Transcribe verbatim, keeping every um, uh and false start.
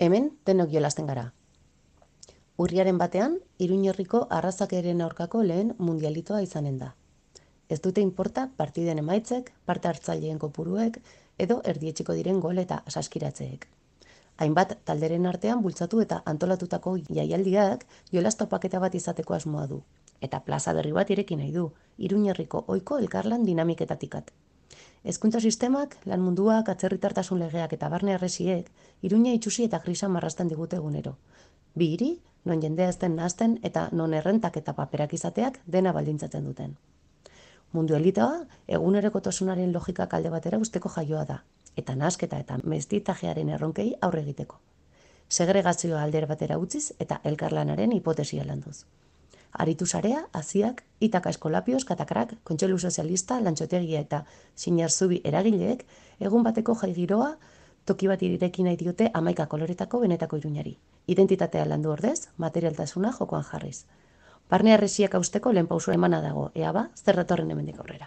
Hemen denok jolasten gara. Urriaren batean, Iruñerriko arrazakeren aurkako lehen mundialitoa izanen da. Ez dute inporta partiden emaitzek, parte hartzaileen kopuruek edo erdietsiko diren gol eta saskiratzeek. Hainbat talderen artean bultzatu eta antolatutako jaialdiak jolas topaketa bat izateko asmoa du. Eta plaza berri bat ireki nahi du, Iruñerriko ohiko elkarlan dinamiketatikat. Hezkuntza sistemak, lan munduak, atzerritartasun legeak eta barne harresiek, Iruña itsusi eta grisa marrazten digute egunero. Bi hiri, non jendea ez den nahasten eta non errentak eta paperak izateak dena baldintzatzen duten. Mundu elitoa, egunerokotasunaren logikak alde batera usteko jaioa da, eta nahasketa eta mestitajearen erronkei aurre egiteko. Segregazioa alder batera utziz eta elkarlanaren hipotesia landuz. Aritu sarea, Aziak, Itaka Eskolapioz, Katakrak, Kontseilu Sozialista, Lantxotegia eta Sinarzubi eragileek egun bateko jai giroa toki bat ireki nahi diote hamaika koloretako benetako Iruñari. Identitatea landu ordez, materialtasuna jokoan jarriz. Barne harresiak hausteko lehen pausua emana dago, ea ba, zer datorren hemendik aurrera.